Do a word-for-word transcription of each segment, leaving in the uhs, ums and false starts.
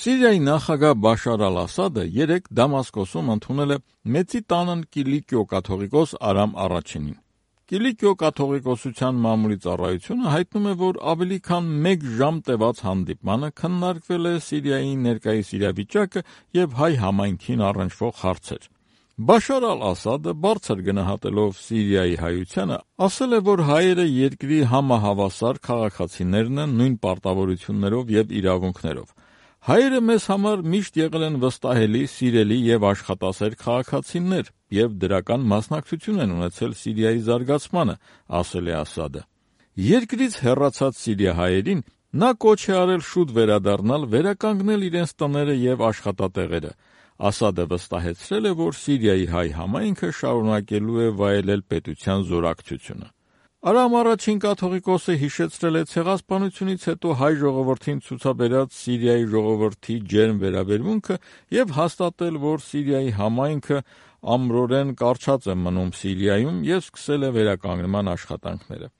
Սիրիայի նախագահ Բաշար ալ-Ասադը երեկ Դամասկոսում ընդունել է Մեծի տանն Կիլիկիո կաթողիկոս Արամ առաջինին։ Կիլիկիո կաթողիկոսության մամուլի ծառայությունը հայտնում է, որ ավելի քան մեկ ժամ տևած հանդիպմանը քննարկվել է Սիրիայի ներկայիս իրավիճակը և հայ համայնքին առնչվող հարցեր։ Բաշար ալ-Ասադը բարձր գնահատելով Սիրիայի հայությանը, ասել է, որ հայերը երկրի համահավասար քաղաքացիներն են նույն պարտավորություններով և իրավունքներով։ Հայերը մեզ համար միշտ եղել են վստահելի, սիրելի և աշխատասեր քաղաքացիներ և դրական մասնակցություն են ունեցել Սիրիայի զարգացմանը, ասել է Ասադը։ Երկրից հեռացած սիրիահայերին նա կոչ է արել շուտ վերադառնալ, վերականգնել իրենց տները և աշխատատեղերը։ Ասադը վստահեցրել է, որ Սիրիայի հայ համայնքը շարունակելու է վայելել պետության զորակցությունը։ Արամ առաջին կաթողիկոսը հիշեցրել է ցեղասպանությունից հետո հայ ժողովրդին ցուցաբերած Սիրիայի ժողովրդի ջերմ վերաբերմունքը և հաստատել, որ Սիրիայի համայնքը ամրորեն կառչած է մնում Սիրիայում և սկսել է վերականգնման աշխատանքները։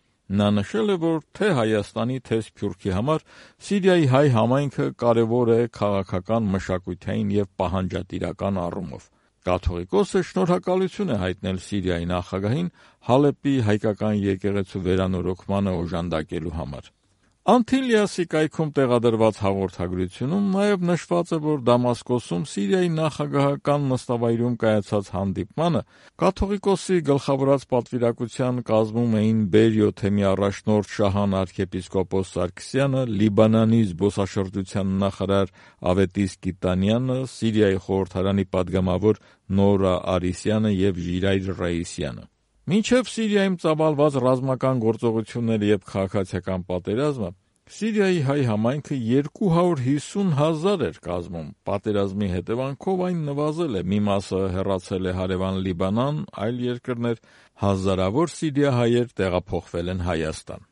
Նա նշել է, որ թե Հայաստանի, թե Սփյուռքի համար Սիրիայի հայ համայնքը կարևոր է քաղաքական, մշակութային և պահանջատիրական առումով։ Կաթողիկոսը շնորհակալություն է հայտնել Սիրիայի նախագահին Հալեպի հայկական եկեղեցու վերանորոգմանը օժանդակելու համար։ Անտիլիասի կայքում տեղադրված հաղորդագրությունում նաև նշված է, որ Դամասկոսում Սիրիայի նախագահական նստավայրում կայացած հանդիպմանը կաթողիկոսի գլխավորած պատվիրակության կազմում էին Բերիո թեմի առաջնորդ Շահան arczepiskopos Սարգսյանը, Լիբանանի զբոսաշրջության նախարար Ավետիս Կիտանյանը, Սիրիայի խորհրդարանի պատգամավոր Նորա Արիսյանը և Ժիրայր Ռայիսյանը։ Մինչև Սիրիայում ծավալված ռազմական գործողությունները և քաղաքացիական պատերազմը, Սիրիայի հայ համայնքը երկու հարյուր հիսուն հազար էր կազմում։ Պատերազմի հետևանքով այն նվազել է, մի մասը հեռացել է հարևան Լիբանան, այլ երկրներ, հազարավոր սիրիահայեր տեղափոխվել են Հայաստան։